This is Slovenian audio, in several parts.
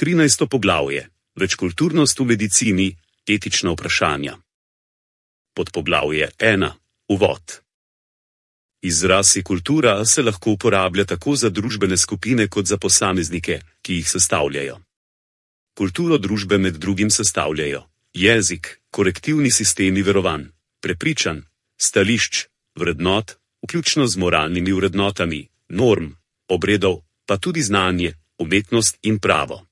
13. poglavje. Večkulturnost v medicini, etična vprašanja. Podpoglavje 1. Uvod. Izraz kultura se lahko uporablja tako za družbene skupine kot za posameznike, ki jih sestavljajo. Kulturo družbe med drugim sestavljajo jezik, korektivni sistemi verovanj, prepričanj, stališč, vrednot, vključno z moralnimi vrednotami, norm, obredov, pa tudi znanje, umetnost in pravo.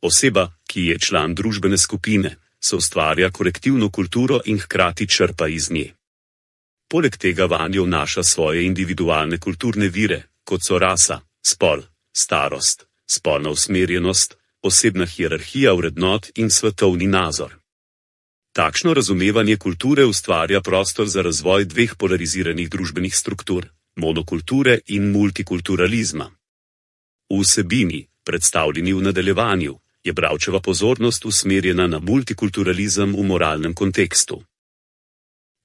Oseba, ki je član družbene skupine, soustvarja korektivno kulturo in hkrati črpa iz nje. Poleg tega vanjo vnaša svoje individualne kulturne vire, kot so rasa, spol, starost, spolna usmerjenost, osebna hierarhija vrednot in svetovni nazor. Takšno razumevanje kulture ustvarja prostor za razvoj dveh polariziranih družbenih struktur, monokulture in multikulturalizma. V vsebini, predstavljeni v nadaljevanju, je bralčeva pozornost usmerjena na multikulturalizem v moralnem kontekstu.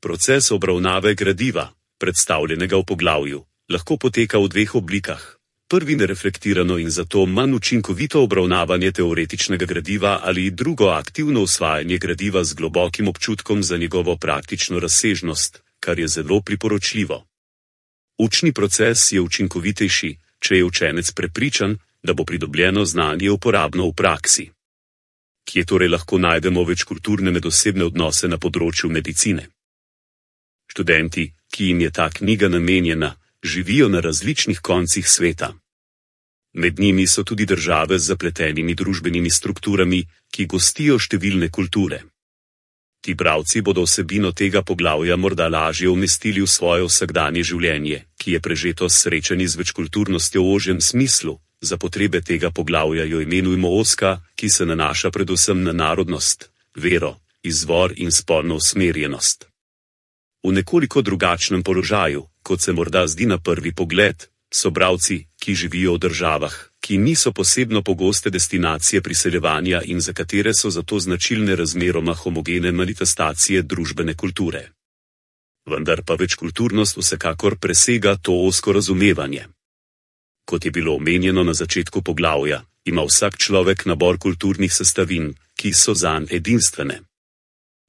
Proces obravnave gradiva, predstavljenega v poglavju, lahko poteka v dveh oblikah. Prvi nereflektirano in zato manj učinkovito obravnavanje teoretičnega gradiva ali drugo aktivno usvajanje gradiva z globokim občutkom za njegovo praktično razsežnost, kar je zelo priporočljivo. Učni proces je učinkovitejši, če je učenec prepričan, da bo pridobljeno znanje uporabno v praksi. Kje torej lahko najdemo večkulturne medosebne odnose na področju medicine? Študenti, ki jim je ta knjiga namenjena, živijo na različnih koncih sveta. Med njimi so tudi države z zapletenimi družbenimi strukturami, ki gostijo številne kulture. Ti bralci bodo vsebino tega poglavja morda lažje umestili v svoje vsakdanje življenje, ki je prežeto s srečanji z večkulturnostjo v ožjem smislu. Za potrebe tega poglavja jo imenujemo ozka, ki se nanaša predvsem na narodnost, vero, izvor in spolno usmerjenost. V nekoliko drugačnem položaju, kot se morda zdi na prvi pogled, so bralci, ki živijo v državah, ki niso posebno pogoste destinacije priseljevanja in za katere so zato značilne razmeroma homogene manifestacije družbene kulture. Vendar pa večkulturnost vsekakor presega to ozko razumevanje. Kot je bilo omenjeno na začetku poglavja, ima vsak človek nabor kulturnih sestavin, ki so zanj edinstvene.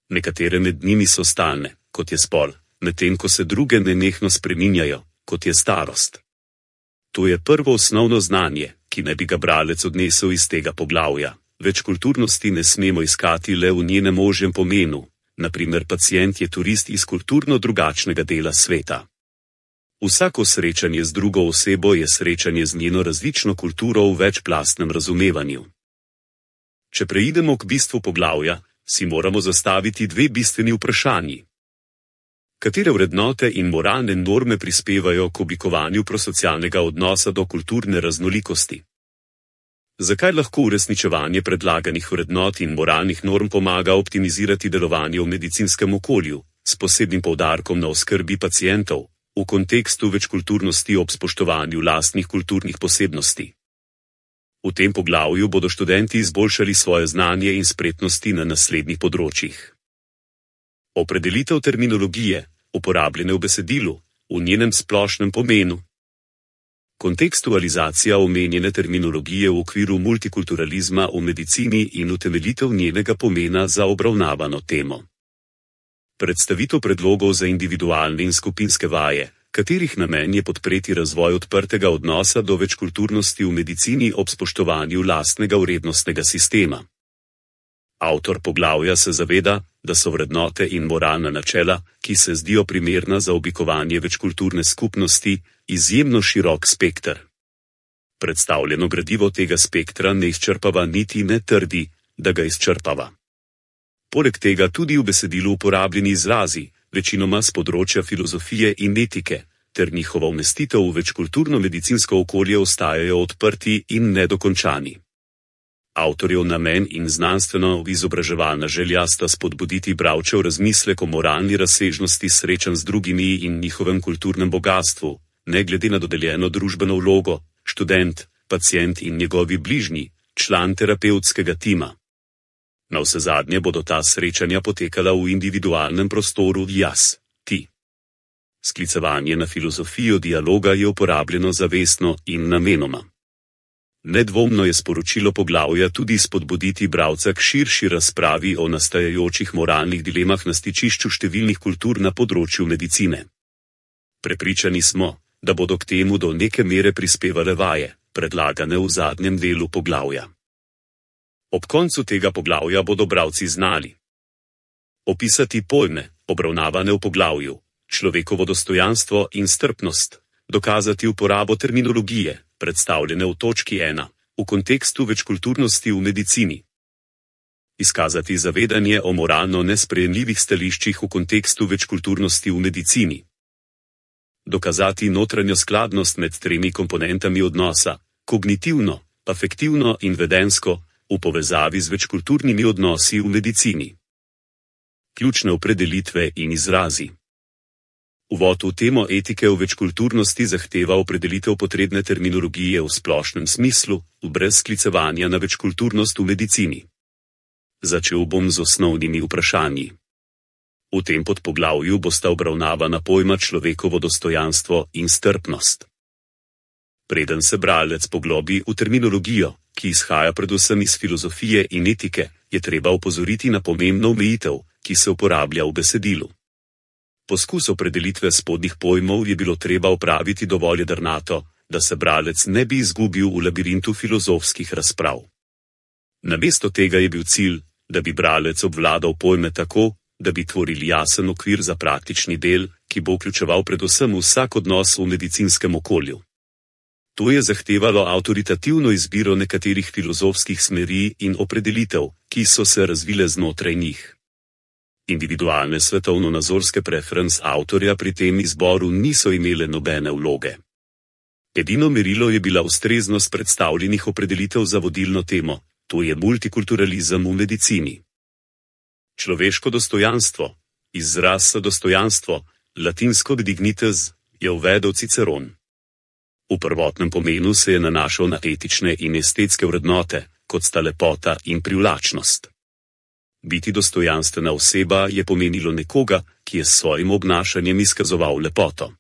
Nekatere med njimi so stalne, kot je spol, medtem ko se druge nenehno spreminjajo, kot je starost. To je prvo osnovno znanje, ki naj bi ga bralec odnesel iz tega poglavja. Večkulturnosti ne smemo iskati le v njenem ožjem pomenu, na primer pacient je turist iz kulturno drugačnega dela sveta. Vsako srečanje z drugo osebo je srečanje z njeno različno kulturo v večplastnem razumevanju. Če preidemo k bistvu poglavja, si moramo zastaviti dve bistveni vprašanji. Katere vrednote in moralne norme prispevajo k oblikovanju prosocialnega odnosa do kulturne raznolikosti? Zakaj lahko uresničevanje predlaganih vrednot in moralnih norm pomaga optimizirati delovanje v medicinskem okolju, s posebnim poudarkom na oskrbi pacientov, v kontekstu večkulturnosti ob spoštovanju lastnih kulturnih posebnosti? V tem poglavju bodo študenti izboljšali svoje znanje in spretnosti na naslednjih področjih. Opredelitev terminologije, uporabljene v besedilu, v njenem splošnem pomenu. Kontekstualizacija omenjene terminologije v okviru multikulturalizma v medicini in utemeljitev njenega pomena za obravnavano temo. Predstavitev predlogov za individualne in skupinske vaje, katerih namen je podpreti razvoj odprtega odnosa do večkulturnosti v medicini ob spoštovanju lastnega vrednostnega sistema. Avtor poglavja se zaveda, da so vrednote in moralna načela, ki se zdijo primerna za oblikovanje večkulturne skupnosti, izjemno širok spekter. Predstavljeno gradivo tega spektra ne izčrpava niti ne trdi, da ga izčrpava. Poleg tega tudi v besedilu uporabljeni izrazi, večinoma z področja filozofije in etike, ter njihova umestitev v večkulturno medicinsko okolje ostajajo odprti in nedokončani. Avtorjev namen in znanstveno-izobraževalna želja sta spodbuditi bralčev razmislek o moralni razsežnosti srečanj z drugimi in njihovem kulturnem bogastvu, ne glede na dodeljeno družbeno vlogo, študent, pacient in njegovi bližnji, član terapevtskega tima. Navsezadnje bodo ta srečanja potekala v individualnem prostoru jaz, ti. Sklicevanje na filozofijo dialoga je uporabljeno zavestno in namenoma. Nedvomno je sporočilo poglavja tudi spodbuditi bralca k širši razpravi o nastajajočih moralnih dilemah na stičišču številnih kultur na področju medicine. Prepričani smo, da bodo k temu do neke mere prispevale vaje, predlagane v zadnjem delu poglavja. Ob koncu tega poglavja bodo bralci znali opisati pojme, obravnavane v poglavju, človekovo dostojanstvo in strpnost, dokazati uporabo terminologije, predstavljene v točki 1, v kontekstu večkulturnosti v medicini. Izkazati zavedanje o moralno nesprejemljivih stališčih v kontekstu večkulturnosti v medicini. Dokazati notranjo skladnost med 3 komponentami odnosa, kognitivno, afektivno in vedensko, v povezavi z večkulturnimi odnosi v medicini. Ključne opredelitve in izrazi. Uvod v temo etike v večkulturnosti zahteva opredelitev potrebne terminologije v splošnem smislu, brez sklicevanja na večkulturnost v medicini. Začel bom z osnovnimi vprašanji. V tem podpoglavju bosta obravnavana pojma človekovo dostojanstvo in strpnost. Preden se bralec poglobi v terminologijo, ki izhaja predvsem iz filozofije in etike, je treba opozoriti na pomembno omejitev, ki se uporablja v besedilu. Poskus opredelitve spodnjih pojmov je bilo treba opraviti dovolj jedrnato, da se bralec ne bi izgubil v labirintu filozofskih razprav. Namesto tega je bil cilj, da bi bralec obvladal pojme tako, da bi tvorili jasen okvir za praktični del, ki bo vključeval predvsem vsak odnos v medicinskem okolju. To je zahtevalo avtoritativno izbiro nekaterih filozofskih smeri in opredelitev, ki so se razvile znotraj njih. Individualne svetovno-nazorske preference avtorja pri tem izboru niso imele nobene vloge. Edino merilo je bila ustreznost predstavljenih opredelitev za vodilno temo, to je multikulturalizem v medicini. Človeško dostojanstvo, izraz dostojanstvo, latinsko dignitas, je uvedel Ciceron. V prvotnem pomenu se je nanašal na etične in estetske vrednote, kot sta lepota in privlačnost. Biti dostojanstvena oseba je pomenilo nekoga, ki je s svojim obnašanjem izkazoval lepoto.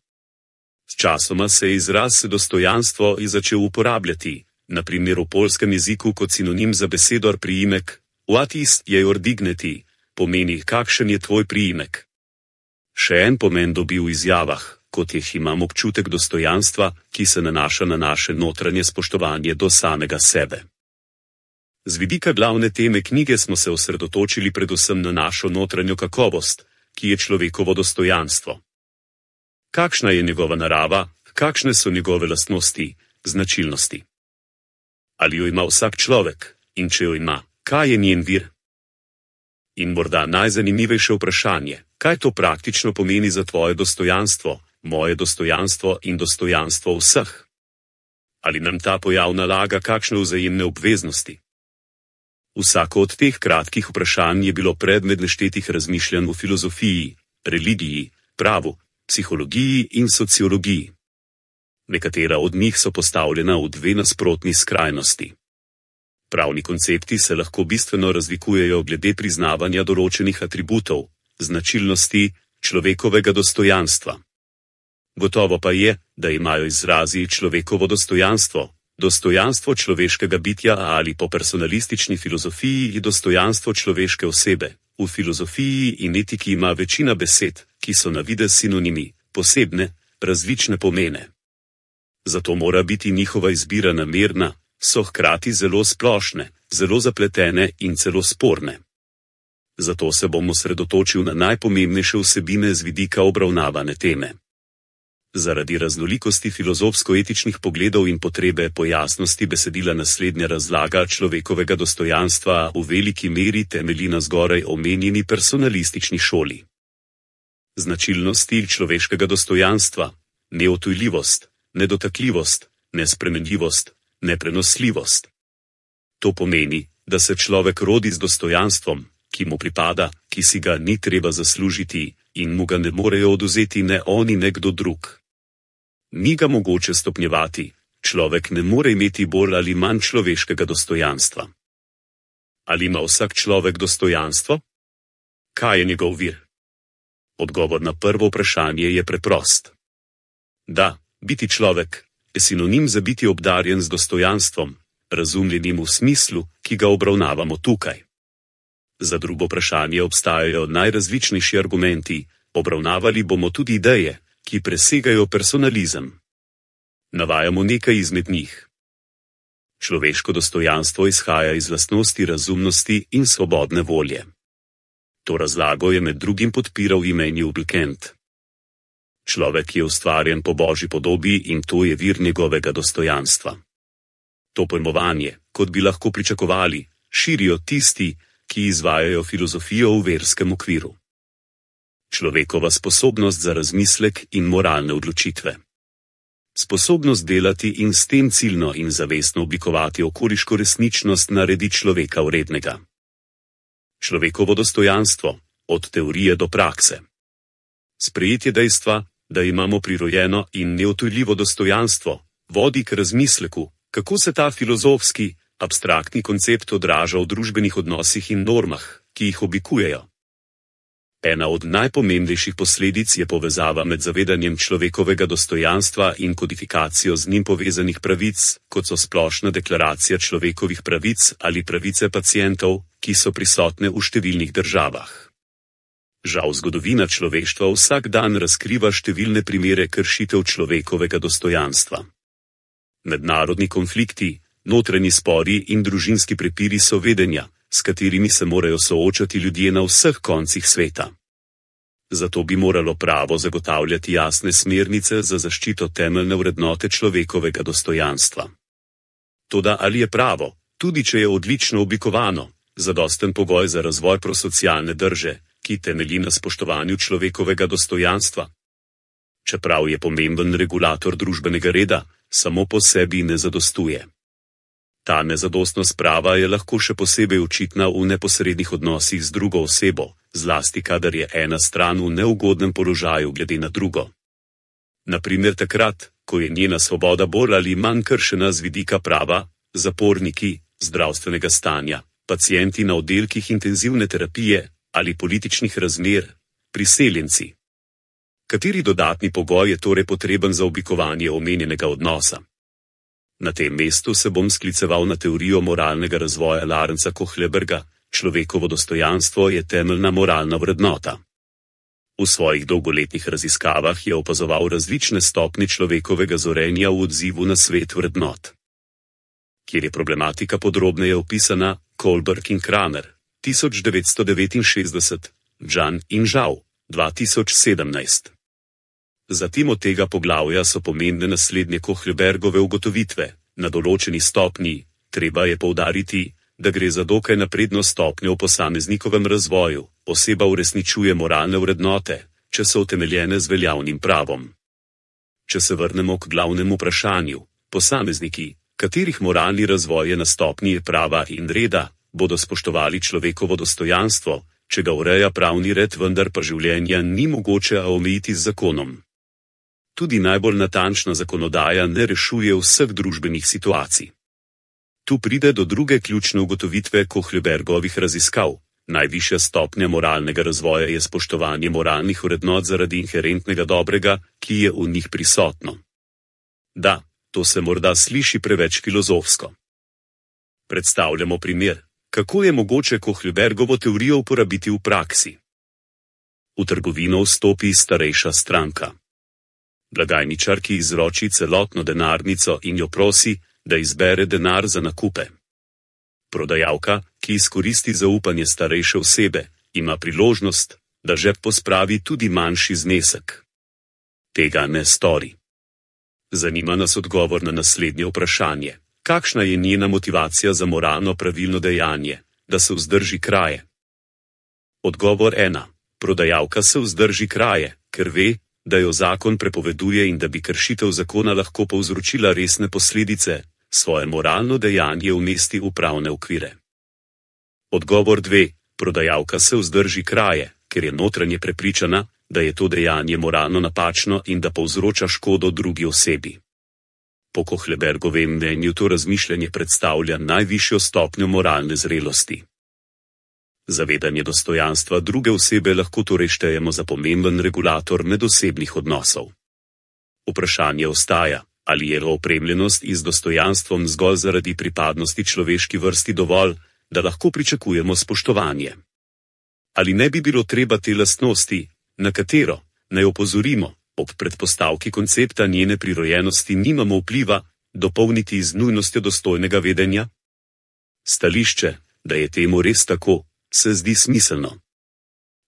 Sčasoma se je izraz dostojanstvo začel uporabljati, na primer v poljskem jeziku kot sinonim za besedo priimek, what is your dignity, pomeni kakšen je tvoj priimek. Še en pomen dobi v izjavah, kot jih imam občutek dostojanstva, ki se nanaša na naše notranje spoštovanje do samega sebe. Z vidika glavne teme knjige smo se osredotočili predvsem na našo notranjo kakovost, ki je človekovo dostojanstvo. Kakšna je njegova narava, kakšne so njegove lastnosti, značilnosti? Ali jo ima vsak človek, in če jo ima, kaj je njen vir? In morda najzanimivejše vprašanje, kaj to praktično pomeni za tvoje dostojanstvo, moje dostojanstvo in dostojanstvo vseh? Ali nam ta pojav nalaga kakšne vzajemne obveznosti? Vsako od teh kratkih vprašanj je bilo predmet neštetih razmišljanj v filozofiji, religiji, pravu, psihologiji in sociologiji. Nekatera od njih so postavljena v 2 nasprotni skrajnosti. Pravni koncepti se lahko bistveno razlikujejo glede priznavanja določenih atributov, značilnosti človekovega dostojanstva. Gotovo pa je, da imajo izrazi človekovo dostojanstvo, dostojanstvo človeškega bitja ali po personalistični filozofiji dostojanstvo človeške osebe. V filozofiji in etiki ima večina besed, ki so na videz sinonimi, posebne, različne pomene. Zato mora biti njihova izbira namerna, so hkrati zelo splošne, zelo zapletene in celo sporne. Zato se bom osredotočil na najpomembnejše vsebine z vidika obravnavane teme. Zaradi raznolikosti filozofsko-etičnih pogledov in potrebe po jasnosti besedila naslednja razlaga človekovega dostojanstva v veliki meri temelji na zgoraj omenjeni personalistični šoli. Značilnosti človeškega dostojanstva, neodtujljivost, nedotakljivost, nespremenljivost, neprenosljivost. To pomeni, da se človek rodi z dostojanstvom, ki mu pripada, ki si ga ni treba zaslužiti in mu ga ne morejo odvzeti ne oni ne kdo drug. Ni ga mogoče stopnjevati, človek ne more imeti bolj ali manj človeškega dostojanstva. Ali ima vsak človek dostojanstvo? Kaj je njegov vir? Odgovor na prvo vprašanje je preprost. Da, biti človek je sinonim za biti obdarjen z dostojanstvom, razumljenim v smislu, ki ga obravnavamo tukaj. Za drugo vprašanje obstajajo najrazličnejši argumenti, obravnavali bomo tudi ideje, ki presegajo personalizem. Navajamo nekaj izmed njih. Človeško dostojanstvo izhaja iz lastnosti razumnosti in svobodne volje. To razlago je med drugim podpiral Immanuel Kant. Človek je ustvarjen po Božji podobi in to je vir njegovega dostojanstva. To pojmovanje, kot bi lahko pričakovali, širijo tisti, ki izvajajo filozofijo v verskem okviru. Človekova sposobnost za razmislek in moralne odločitve. Sposobnost delati in s tem ciljno in zavestno oblikovati okoliško resničnost naredi človeka vrednega. Človekovo dostojanstvo, od teorije do prakse. Sprejetje dejstva, da imamo prirojeno in neodtujljivo dostojanstvo, vodi k razmisleku, kako se ta filozofski, abstraktni koncept odraža v družbenih odnosih in normah, ki jih oblikujejo. Ena od najpomembnejših posledic je povezava med zavedanjem človekovega dostojanstva in kodifikacijo z njim povezanih pravic, kot so splošna deklaracija človekovih pravic ali pravice pacientov, ki so prisotne v številnih državah. Žal zgodovina človeštva vsak dan razkriva številne primere kršitev človekovega dostojanstva. Mednarodni konflikti, notranji spori in družinski prepiri so vedenja, s katerimi se morajo soočati ljudje na vseh koncih sveta. Zato bi moralo pravo zagotavljati jasne smernice za zaščito temeljne vrednote človekovega dostojanstva. Toda ali je pravo, tudi če je odlično oblikovano, zadosten pogoj za razvoj prosocialne drže, ki temelji na spoštovanju človekovega dostojanstva? Čeprav je pomemben regulator družbenega reda, samo po sebi ne zadostuje. Ta nezadostnost prava je lahko še posebej očitna v neposrednih odnosih z drugo osebo, zlasti kadar je ena stran v neugodnem položaju glede na drugo. Na primer takrat, ko je njena svoboda bolj ali manj kršena z vidika prava, zaporniki, zdravstvenega stanja, pacienti na oddelkih intenzivne terapije ali političnih razmer, priseljenci. Kateri dodatni pogoj je torej potreben za oblikovanje omenjenega odnosa? Na tem mestu se bom skliceval na teorijo moralnega razvoja Lawrencea Kohlberga. Človekovo dostojanstvo je temeljna moralna vrednota. V svojih dolgoletnih raziskavah je opazoval različne stopnje človekovega zorenja v odzivu na svet vrednot. Kjer je problematika podrobneje opisana, Kohlberg in Kramer, 1969, Džan in Zhao, 2017. Zatim od tega poglavja so pomembne naslednje Kohlbergove ugotovitve. Na določeni stopnji, treba je poudariti, da gre za dokaj napredno stopnjo v posameznikovem razvoju, oseba uresničuje moralne vrednote, če so utemeljene z veljavnim pravom. Če se vrnemo k glavnemu vprašanju, posamezniki, katerih moralni razvoj je na stopnji prava in reda, bodo spoštovali človekovo dostojanstvo, če ga ureja pravni red, vendar pa življenja ni mogoče omejiti z zakonom. Tudi najbolj natančna zakonodaja ne rešuje vseh družbenih situacij. Tu pride do druge ključne ugotovitve Kohlbergovih raziskav. Najvišja stopnja moralnega razvoja je spoštovanje moralnih vrednot zaradi inherentnega dobrega, ki je v njih prisotno. Da, to se morda sliši preveč filozofsko. Predstavljamo primer, kako je mogoče Kohlbergovo teorijo uporabiti v praksi. V trgovino vstopi starejša stranka. Blagajničar, ki izroči celotno denarnico in jo prosi, da izbere denar za nakupe. Prodajalka, ki izkoristi zaupanje starejše osebe, ima priložnost, da žep pospravi tudi manjši znesek. Tega ne stori. Zanima nas odgovor na naslednje vprašanje. Kakšna je njena motivacija za moralno pravilno dejanje, da se vzdrži kraje? Odgovor 1. Prodajalka se vzdrži kraje, ker ve, da jo zakon prepoveduje in da bi kršitev zakona lahko povzročila resne posledice, svoje moralno dejanje umesti v pravne okvire. Odgovor 2. Prodajalka se vzdrži kraje, ker je notranje prepričana, da je to dejanje moralno napačno in da povzroča škodo drugi osebi. Po Kohlbergovem mnenju to razmišljanje predstavlja najvišjo stopnjo moralne zrelosti. Zavedanje dostojanstva druge osebe lahko torej štejemo za pomemben regulator medosebnih odnosov. Vprašanje ostaja, Ali je opremljenost z dostojanstvom zgolj zaradi pripadnosti človeški vrsti dovolj, da lahko pričakujemo spoštovanje? Ali ne bi bilo treba te lastnosti, na katero naj opozorimo, ob predpostavki koncepta njene prirojenosti nimamo vpliva, dopolniti z nujnostjo dostojnega vedenja? Stališče, da je temu res tako, se zdi smiselno.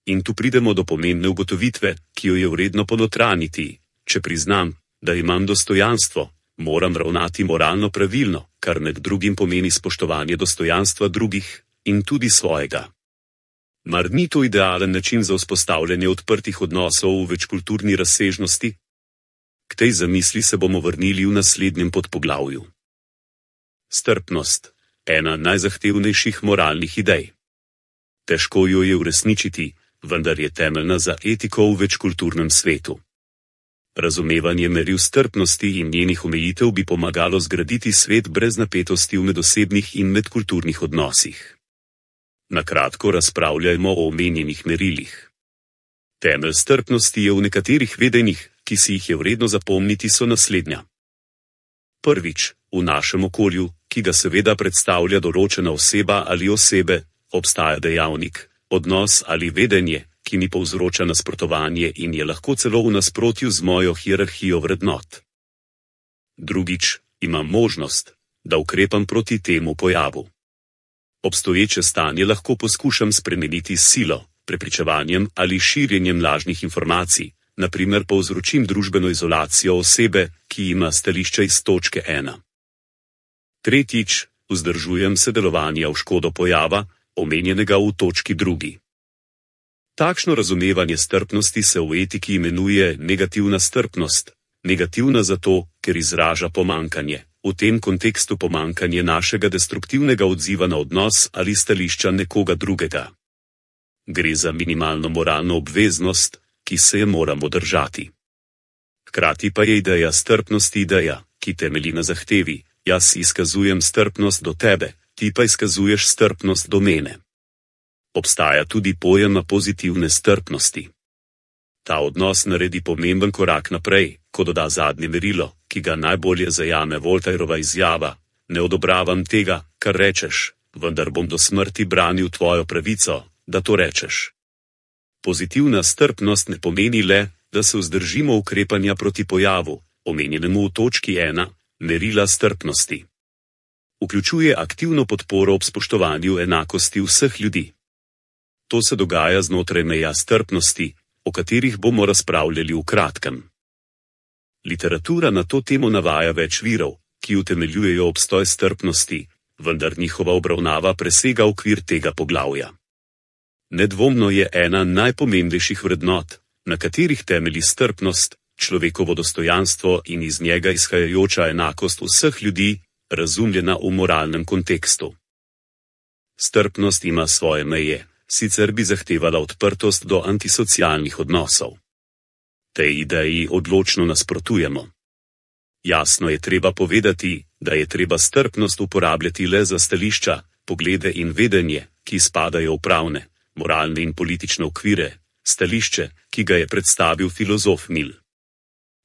In tu pridemo do pomembne ugotovitve, ki jo je vredno ponotraniti. Če priznam, da imam dostojanstvo, moram ravnati moralno pravilno, kar med drugim pomeni spoštovanje dostojanstva drugih in tudi svojega. Mar ni to idealen način za vzpostavljanje odprtih odnosov v večkulturni razsežnosti? K tej zamisli se bomo vrnili v naslednjem podpoglavju. Strpnost, ena najzahtevnejših moralnih idej. Težko jo je uresničiti, vendar je temeljna za etiko v večkulturnem svetu. Razumevanje meril strpnosti in njenih omejitev bi pomagalo zgraditi svet brez napetosti v medosebnih in medkulturnih odnosih. Na kratko razpravljajmo o omenjenih merilih. Temelj strpnosti je v nekaterih vedenjih, ki si jih je vredno zapomniti, so naslednja. Prvič, v našem okolju, ki ga seveda predstavlja določena oseba ali osebe, obstaja dejavnik, odnos ali vedenje, ki mi povzroča nasprotovanje in je lahko celo v nasprotju z mojo hierarhijo vrednot. Drugič, imam možnost, da ukrepam proti temu pojavu. Obstoječe stanje lahko poskušam spremeniti s silo, prepričevanjem ali širjenjem lažnih informacij, na primer povzročim družbeno izolacijo osebe, ki ima stališča iz točke 1. Tretjič, vzdržujem se delovanja v škodo pojava, omenjenega v točki 2. Takšno razumevanje strpnosti se v etiki imenuje negativna strpnost, negativna zato, ker izraža pomanjkanje, v tem kontekstu pomanjkanje našega destruktivnega odziva na odnos ali stališča nekoga drugega. Gre za minimalno moralno obveznost, ki se je moramo držati. Hkrati pa je ideja strpnosti ideja, ki temelji na zahtevi, jaz izkazujem strpnost do tebe, ti pa izkazuješ strpnost do mene. Obstaja tudi pojem pozitivne strpnosti. Ta odnos naredi pomemben korak naprej, ko doda zadnje merilo, ki ga najbolje zajame Voltairova izjava: ne odobravam tega, kar rečeš, vendar bom do smrti branil tvojo pravico, da to rečeš. Pozitivna strpnost ne pomeni le, da se vzdržimo ukrepanja proti pojavu, omenjenemu v točki 1, merila strpnosti. Vključuje aktivno podporo ob spoštovanju enakosti vseh ljudi. To se dogaja znotraj meja strpnosti, o katerih bomo razpravljali v kratkem. Literatura na to temo navaja več virov, ki utemeljujejo obstoj strpnosti, vendar njihova obravnava presega okvir tega poglavja. Nedvomno je ena najpomembnejših vrednot, na katerih temelji strpnost, človekovo dostojanstvo in iz njega izhajajoča enakost vseh ljudi, razumljena v moralnem kontekstu. Strpnost ima svoje meje, sicer bi zahtevala odprtost do antisocialnih odnosov. Tej ideji odločno nasprotujemo. Jasno je treba povedati, da je treba strpnost uporabljati le za stališča, poglede in vedenje, ki spadajo v pravne, moralne in politične okvire, stališče, ki ga je predstavil filozof Mill.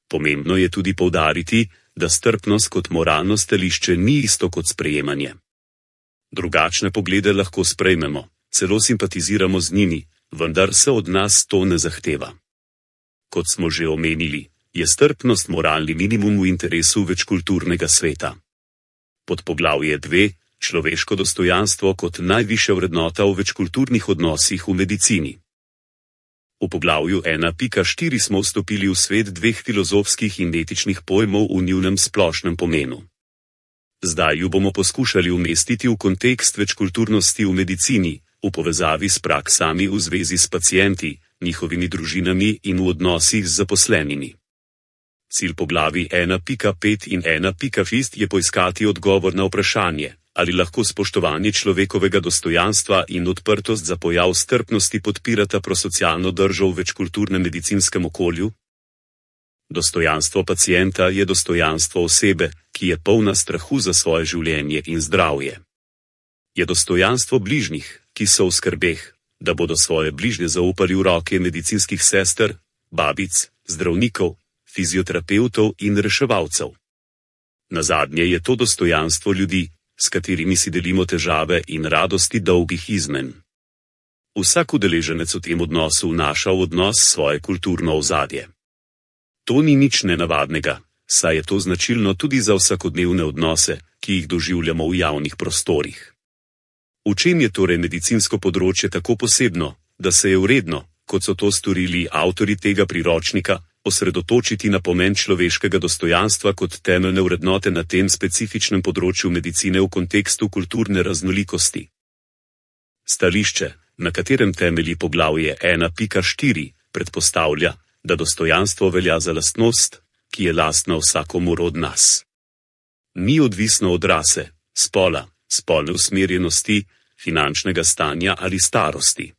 Pomembno je tudi poudariti, da strpnost kot moralno stališče ni isto kot sprejemanje. Drugačne poglede lahko sprejmemo, celo simpatiziramo z njimi, vendar se od nas to ne zahteva. Kot smo že omenili, je strpnost moralni minimum v interesu večkulturnega sveta. Podpoglavje 2, človeško dostojanstvo kot najvišja vrednota v večkulturnih odnosih v medicini. V poglavju 1.4 smo vstopili v svet dveh filozofskih in etičnih pojmov v njunem splošnem pomenu. Zdaj ju bomo poskušali umestiti v kontekst večkulturnosti v medicini, v povezavi s praksami v zvezi s pacienti, njihovimi družinami in v odnosih z zaposlenimi. Cilj poglavij 1.5 in 1.6 je poiskati odgovor na vprašanje, ali lahko spoštovanje človekovega dostojanstva in odprtost za pojav strpnosti podpirata prosocialno držo v večkulturnem medicinskem okolju? Dostojanstvo pacienta je dostojanstvo osebe, ki je polna strahu za svoje življenje in zdravje. Je dostojanstvo bližnjih, ki so v skrbeh, da bodo svoje bližnje zaupali v roke medicinskih sester, babic, zdravnikov, fizioterapevtov in reševalcev. Nazadnje je to dostojanstvo ljudi, s katerimi si delimo težave in radosti dolgih izmen. Vsak udeleženec v tem odnosu vnaša v odnos svoje kulturno ozadje. To ni nič nenavadnega, saj je to značilno tudi za vsakodnevne odnose, ki jih doživljamo v javnih prostorih. V čem je torej medicinsko področje tako posebno, da se je vredno, kot so to storili avtorji tega priročnika, osredotočiti na pomen človeškega dostojanstva kot temeljne vrednote na tem specifičnem področju medicine v kontekstu kulturne raznolikosti? Stališče, na katerem temelji poglavje 1.4, predpostavlja, da dostojanstvo velja za lastnost, ki je lastna vsakomur od nas. Ni odvisno od rase, spola, spolne usmerjenosti, finančnega stanja ali starosti.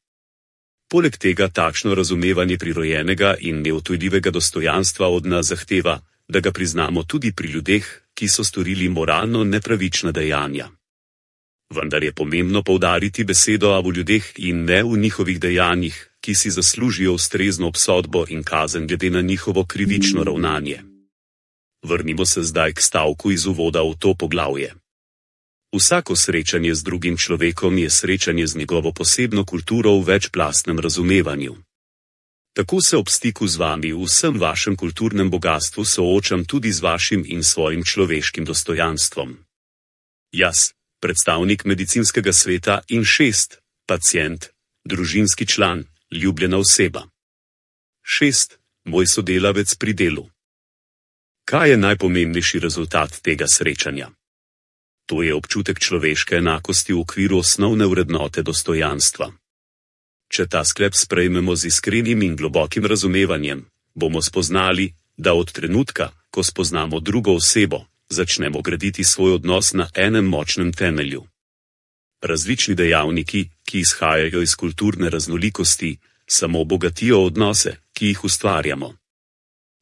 Poleg tega takšno razumevanje prirojenega in neodtujljivega dostojanstva od nas zahteva, da ga priznamo tudi pri ljudeh, ki so storili moralno nepravična dejanja. Vendar je pomembno poudariti besedo v ljudeh in ne v njihovih dejanjih, ki si zaslužijo ustrezno obsodbo in kazen glede na njihovo krivično ravnanje. Vrnimo se zdaj k stavku iz uvoda v to poglavje. Vsako srečanje z drugim človekom je srečanje z njegovo posebno kulturo v večplastnem razumevanju. Tako se ob stiku z vami v vsem vašem kulturnem bogastvu soočam tudi z vašim in svojim človeškim dostojanstvom. Jaz, predstavnik medicinskega sveta in 6, pacient, družinski član, ljubljena oseba. 6, moj sodelavec pri delu. Kaj je najpomembnejši rezultat tega srečanja? To je občutek človeške enakosti v okviru osnovne vrednote dostojanstva. Če ta sklep sprejmemo z iskrenim in globokim razumevanjem, bomo spoznali, da od trenutka, ko spoznamo drugo osebo, začnemo graditi svoj odnos na enem močnem temelju. Različni dejavniki, ki izhajajo iz kulturne raznolikosti, samo bogatijo odnose, ki jih ustvarjamo.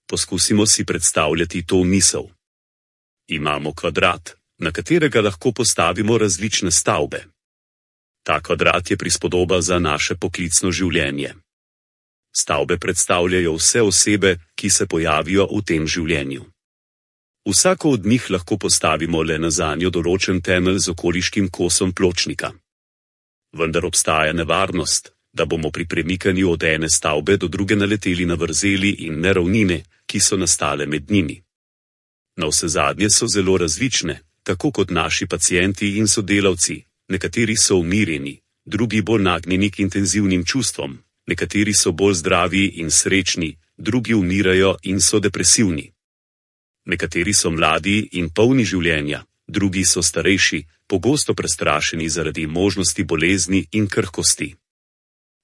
Poskusimo si predstavljati to misel. Imamo kvadrat, na katerega lahko postavimo različne stavbe. Ta kvadrat je prispodoba za naše poklicno življenje. Stavbe predstavljajo vse osebe, ki se pojavijo v tem življenju. Vsako od njih lahko postavimo le na zanjo določen temelj z okoliškim kosom pločnika. Vendar obstaja nevarnost, da bomo pri premikanju od ene stavbe do druge naleteli na vrzeli in neravnine, ki so nastale med njimi. Navsezadnje so zelo različne, tako kot naši pacienti in sodelavci, nekateri so umirjeni, drugi bolj nagnjeni k intenzivnim čustvom, nekateri so bolj zdravi in srečni, drugi umirajo in so depresivni. Nekateri so mladi in polni življenja, drugi so starejši, pogosto prestrašeni zaradi možnosti bolezni in krhkosti.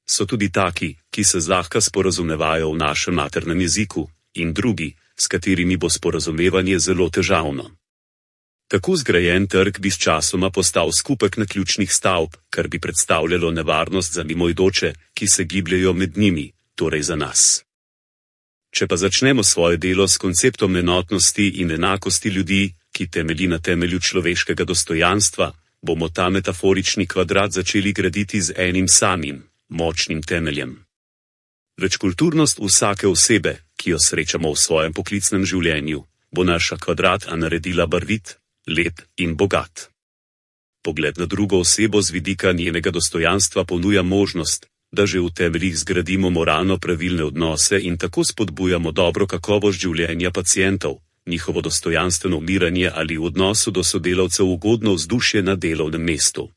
So tudi taki, ki se zlahka sporazumevajo v našem maternem jeziku, in drugi, s katerimi bo sporazumevanje zelo težavno. Tako zgrajen trg bi sčasoma postal skupek naključnih stavb, kar bi predstavljalo nevarnost za mimoidoče, ki se gibljejo med njimi, torej za nas. Če pa začnemo svoje delo s konceptom enotnosti in enakosti ljudi, ki temelji na temelju človeškega dostojanstva, bomo ta metaforični kvadrat začeli graditi z enim samim, močnim temeljem. Večkulturnost vsake osebe, ki jo srečamo v svojem poklicnem življenju, bo naša kvadrata naredila barvit, lep in bogat. Pogled na drugo osebo z vidika njenega dostojanstva ponuja možnost, da že v temeljih zgradimo moralno pravilne odnose in tako spodbujamo dobro kakovost življenja pacientov, njihovo dostojanstveno umiranje ali v odnosu do sodelavcev ugodno vzdušje na delovnem mestu.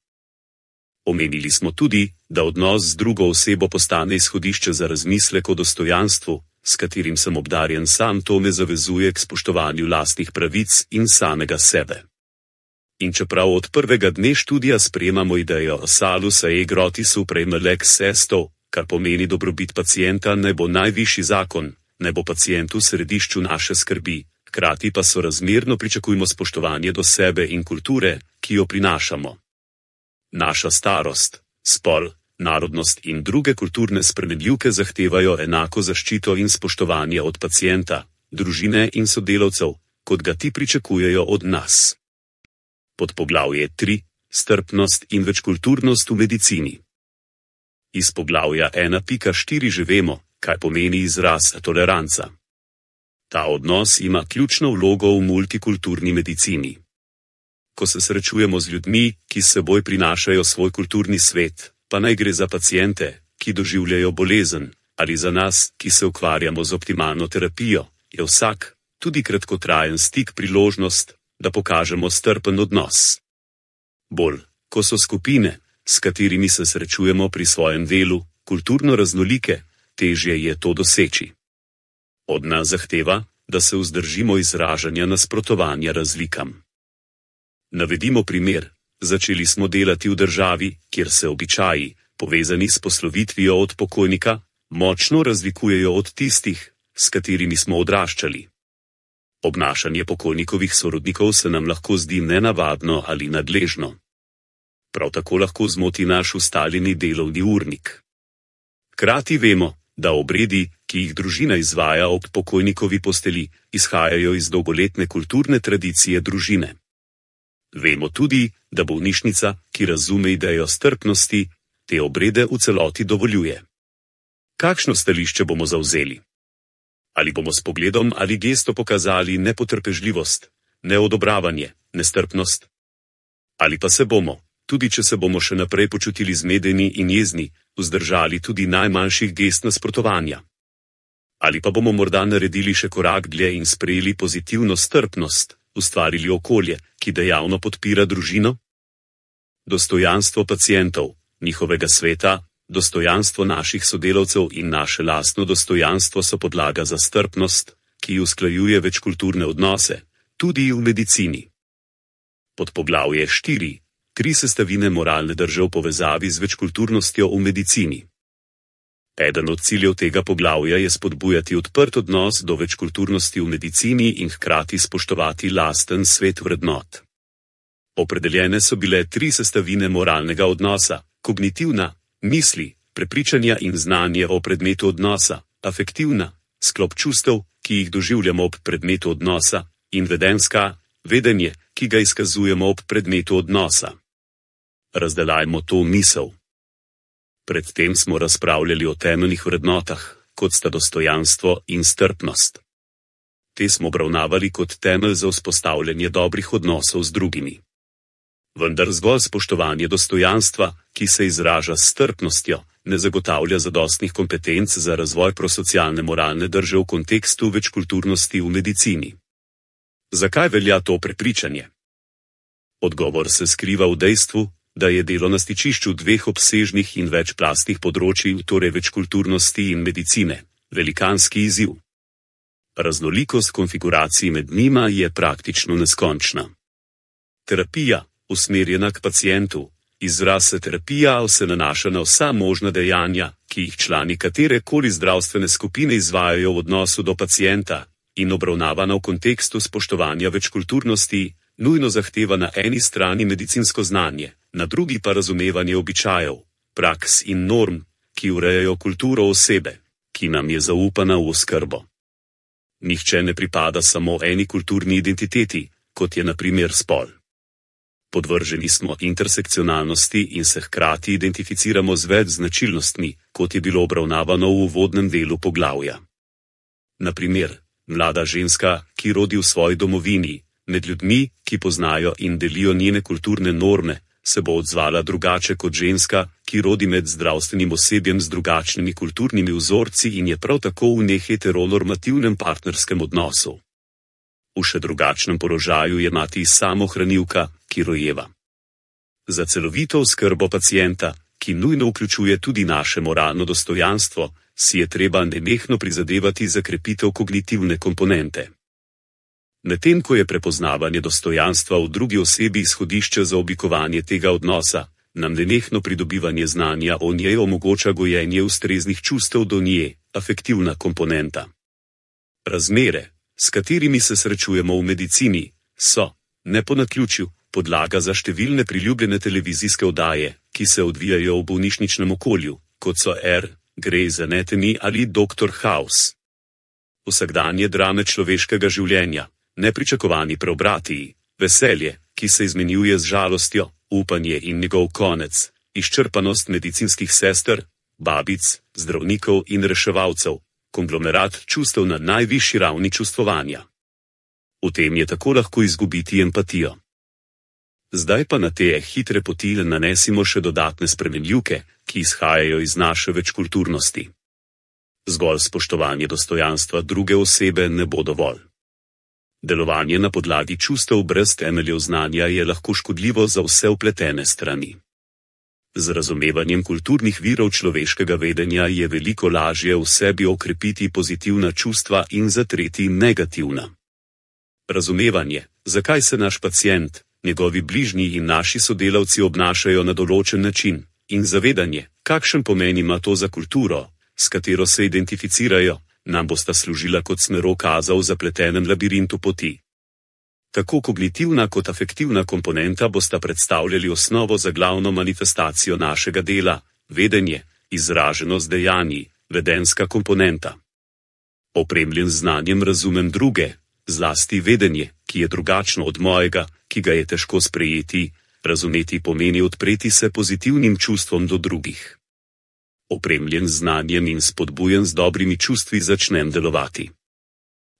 Omenili smo tudi, da odnos z drugo osebo postane izhodišče za razmislek o dostojanstvu, s katerim sem obdarjen sam, to me zavezuje k spoštovanju lastnih pravic in samega sebe. In čeprav od prvega dne študija sprejemamo idejo salus ae grotis suprema lex est, kar pomeni dobrobit pacienta naj bo najvišji zakon, naj bo pacient v središču naše skrbi, hkrati pa sorazmerno pričakujmo spoštovanje do sebe in kulture, ki jo prinašamo. Naša starost, spol, narodnost in druge kulturne spremenljivke zahtevajo enako zaščito in spoštovanje od pacienta, družine in sodelavcev, kot ga ti pričakujejo od nas. Podpoglavje 3. Strpnost in večkulturnost v medicini. Iz poglavja 1.4 že vemo, kaj pomeni izraz toleranca. Ta odnos ima ključno vlogo v multikulturni medicini. Ko se srečujemo z ljudmi, ki s seboj prinašajo svoj kulturni svet, pa naj gre za paciente, ki doživljajo bolezen, ali za nas, ki se ukvarjamo z optimalno terapijo, je vsak, tudi kratkotrajen stik priložnost, da pokažemo strpen odnos. Bolj, ko so skupine, s katerimi se srečujemo pri svojem delu, kulturno raznolike, težje je to doseči. Od nas zahteva, da se vzdržimo izražanja nasprotovanja razlikam. Navedimo primer. Začeli smo delati v državi, kjer se običaji, povezani s poslovitvijo od pokojnika, močno razlikujejo od tistih, s katerimi smo odraščali. Obnašanje pokojnikovih sorodnikov se nam lahko zdi nenavadno ali nadležno. Prav tako lahko zmoti naš ustaljeni delovni urnik. Hkrati vemo, da obredi, ki jih družina izvaja ob pokojnikovi posteli, izhajajo iz dolgoletne kulturne tradicije družine. Vemo tudi, da bolnišnica, ki razume idejo strpnosti, te obrede v celoti dovoljuje. Kakšno stališče bomo zavzeli? Ali bomo s pogledom ali gesto pokazali nepotrpežljivost, neodobravanje, nestrpnost? Ali pa se bomo, tudi če se bomo še naprej počutili zmedeni in jezni, vzdržali tudi najmanjših gest nasprotovanja? Ali pa bomo morda naredili še korak dlje in sprejeli pozitivno strpnost, ustvarili okolje, ki dejavno podpira družino? Dostojanstvo pacientov, njihovega sveta, dostojanstvo naših sodelavcev in naše lastno dostojanstvo so podlaga za strpnost, ki usklajuje večkulturne odnose, tudi v medicini. Podpoglavje 4. 3 sestavine moralne drže v povezavi z večkulturnostjo v medicini. Eden od ciljev tega poglavja je spodbujati odprt odnos do večkulturnosti v medicini in hkrati spoštovati lasten svet vrednot. Opredeljene so bile 3 sestavine moralnega odnosa: kognitivna, misli, prepričanja in znanje o predmetu odnosa, afektivna, sklop čustev, ki jih doživljamo ob predmetu odnosa, in vedenska, vedenje, ki ga izkazujemo ob predmetu odnosa. Razdelajmo to misel. Predtem smo razpravljali o temeljnih vrednotah, kot sta dostojanstvo in strpnost. Te smo obravnavali kot temelj za vzpostavljanje dobrih odnosov z drugimi. Vendar zgolj spoštovanje dostojanstva, ki se izraža s strpnostjo, ne zagotavlja zadostnih kompetenc za razvoj prosocialne moralne drže v kontekstu večkulturnosti v medicini. Zakaj velja to prepričanje? Odgovor se skriva v dejstvu, da je delo na stičišču 2 obsežnih in večplastnih področij, torej večkulturnosti in medicine, velikanski izziv. Raznolikost konfiguracij med njima je praktično neskončna. Terapija, usmerjena k pacientu, izraz terapija se nanaša na vsa možna dejanja, ki jih člani katerekoli zdravstvene skupine izvajajo v odnosu do pacienta, in obravnavana v kontekstu spoštovanja večkulturnosti, nujno zahteva na eni strani medicinsko znanje, na drugi pa razumevanje običajev, praks in norm, ki urejajo kulturo osebe, ki nam je zaupana v oskrbo. Nihče ne pripada samo eni kulturni identiteti, kot je na primer spol. Podvrženi smo intersekcionalnosti in se hkrati identificiramo z več značilnostmi, kot je bilo obravnavano v uvodnem delu poglavja. Na primer, mlada ženska, ki rodi v svoji domovini, med ljudmi, ki poznajo in delijo njene kulturne norme, se bo odzvala drugače kot ženska, ki rodi med zdravstvenim osebjem z drugačnimi kulturnimi vzorci in je prav tako v neheteronormativnem partnerskem odnosu. V še drugačnem položaju je mati samohranilka, ki rojeva. Za celovito oskrbo pacienta, ki nujno vključuje tudi naše moralno dostojanstvo, si je treba nenehno prizadevati za krepitev kognitivne komponente. Medtem ko je prepoznavanje dostojanstva v drugi osebi izhodišče za oblikovanje tega odnosa, nam nenehno pridobivanje znanja o njej omogoča gojenje ustreznih čustev do nje, afektivna komponenta. Razmere, s katerimi se srečujemo v medicini, so, ne po naključju, podlaga za številne priljubljene televizijske oddaje, ki se odvijajo v bolnišničnem okolju, kot so Grey's Anatomy ali Dr. House. Vsakdanje drame človeškega življenja, nepričakovani preobrati, veselje, ki se izmenjuje z žalostjo, upanje in njegov konec, izčrpanost medicinskih sester, babic, zdravnikov in reševalcev, konglomerat čustev na najvišji ravni čustvovanja. V tem je tako lahko izgubiti empatijo. Zdaj pa na te hitre poti nanesimo še dodatne spremenljivke, ki izhajajo iz naše večkulturnosti. Zgolj spoštovanje dostojanstva druge osebe ne bo dovolj. Delovanje na podlagi čustev brez temeljev znanja je lahko škodljivo za vse vpletene strani. Z razumevanjem kulturnih virov človeškega vedenja je veliko lažje v sebi okrepiti pozitivna čustva in zatreti negativna. Razumevanje, zakaj se naš pacient, njegovi bližnji in naši sodelavci obnašajo na določen način, in zavedanje, kakšen pomen ima to za kulturo, s katero se identificirajo, nam bosta služila kot smerokazal v zapletenem labirintu poti. Tako kognitivna kot afektivna komponenta bosta predstavljali osnovo za glavno manifestacijo našega dela, vedenje, izraženo z dejanji, vedenska komponenta. Opremljen z znanjem razumem druge, zlasti vedenje, ki je drugačno od mojega, ki ga je težko sprejeti, razumeti pomeni odpreti se pozitivnim čustvom do drugih. Opremljen z znanjem in spodbujen z dobrimi čustvi začnem delovati.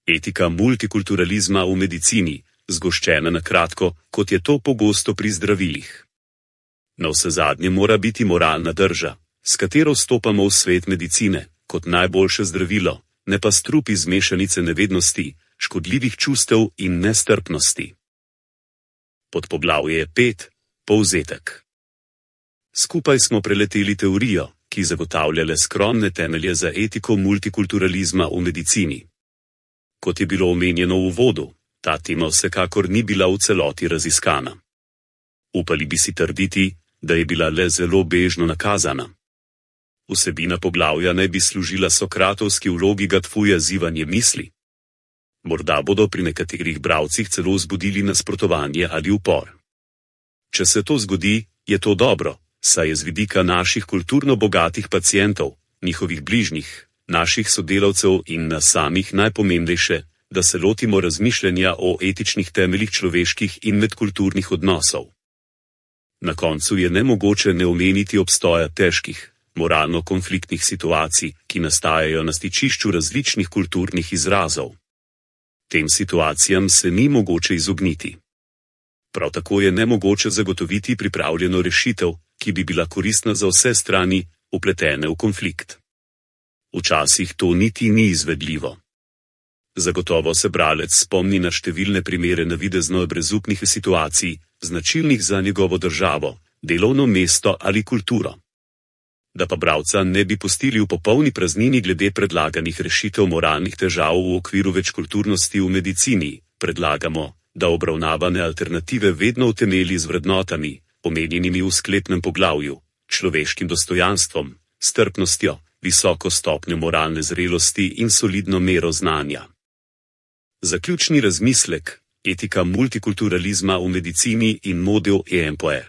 Etika multikulturalizma v medicini, zgoščena na kratko, kot je to pogosto pri zdravilih. Navsezadnje mora biti moralna drža, s katero vstopamo v svet medicine, kot najboljše zdravilo, ne pa strup iz mešanice nevednosti, škodljivih čustev in nestrpnosti. Podpoglavje 5. Povzetek. Skupaj smo preleteli teorijo, ki zagotavlja le skromne temelje za etiko multikulturalizma v medicini. Kot je bilo omenjeno v uvodu, ta tema vsekakor ni bila v celoti raziskana. Upali bi si trditi, da je bila le zelo bežno nakazana. Vsebina poglavja naj bi služila sokratovski vlogi Gatfuja zivanje misli. Morda bodo pri nekaterih bralcih celo vzbudili nasprotovanje ali upor. Če se to zgodi, je to dobro, saj je z vidika naših kulturno bogatih pacientov, njihovih bližnjih, naših sodelavcev in nas samih najpomembnejše, da se lotimo razmišljanja o etičnih temeljih človeških in medkulturnih odnosov. Na koncu je nemogoče ne omeniti obstoja težkih, moralno konfliktnih situacij, ki nastajajo na stičišču različnih kulturnih izrazov. Tem situacijam se ni mogoče izogniti. Prav tako je nemogoče zagotoviti pripravljeno rešitev, ki bi bila koristna za vse strani, vpletene v konflikt. Včasih to niti ni izvedljivo. Zagotovo se bralec spomni na številne primere navidezno brezupnih situacij, značilnih za njegovo državo, delovno mesto ali kulturo. Da pa bralca ne bi pustili v popolni praznini glede predlaganih rešitev moralnih težav v okviru večkulturnosti v medicini, predlagamo, da obravnavane alternative vedno utemelji z vrednotami, omenjenimi v sklepnem poglavju, človeškim dostojanstvom, strpnostjo, visoko stopnjo moralne zrelosti in solidno mero znanja. Zaključni razmislek, etika multikulturalizma v medicini in model EMPOE.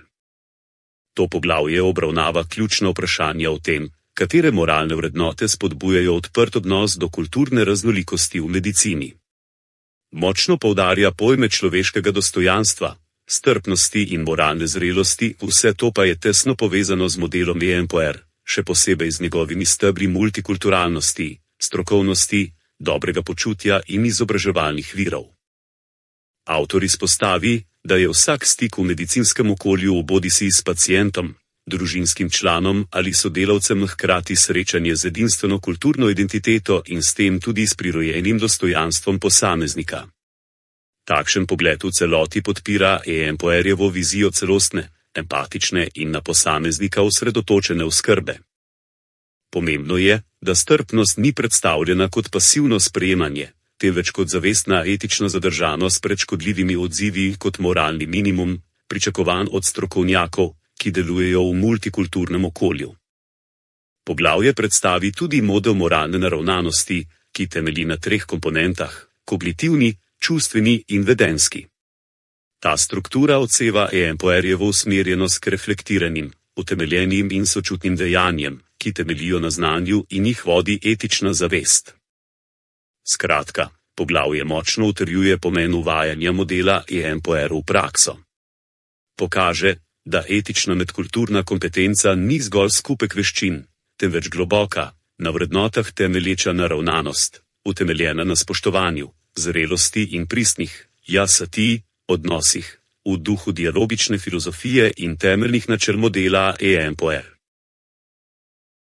To poglavje obravnava ključna vprašanja o tem, katere moralne vrednote spodbujajo odprt odnos do kulturne raznolikosti v medicini. Močno poudarja pojme človeškega dostojanstva, strpnosti in moralne zrelosti, vse to pa je tesno povezano z modelom EMPOE, še posebej z njegovimi stebri multikulturalnosti, strokovnosti, dobrega počutja in izobraževalnih virov. Avtor izpostavi, da je vsak stik v medicinskem okolju bodisi s pacientom, družinskim članom ali sodelavcem hkrati srečanje z edinstveno kulturno identiteto in s tem tudi s prirojenim dostojanstvom posameznika. Takšen pogled v celoti podpira EMPOE-jevo vizijo celostne, empatične in na posameznika osredotočene oskrbe. Pomembno je, da strpnost ni predstavljena kot pasivno sprejemanje, temveč kot zavestna etična zadržanost pred škodljivimi odzivi kot moralni minimum, pričakovan od strokovnjakov, ki delujejo v multikulturnem okolju. Poglavje predstavi tudi model moralne naravnanosti, ki temelji na 3 komponentah, kognitivni, čustveni in vedenski. Ta struktura odseva EMPOE-jevo usmerjenost k reflektiranim, utemeljenim in sočutnim dejanjem, ki temeljijo na znanju in jih vodi etična zavest. Skratka, poglavje močno utrjuje pomen uvajanja modela EMPOE v prakso. Pokaže, da etična medkulturna kompetenca ni zgolj skupek veščin, temveč globoka, Na vrednotah temelječa naravnanost, utemeljena na spoštovanju, zrelosti in pristnih, jasati, odnosih, v duhu dialogične filozofije in temeljnih načel modela EMPOE.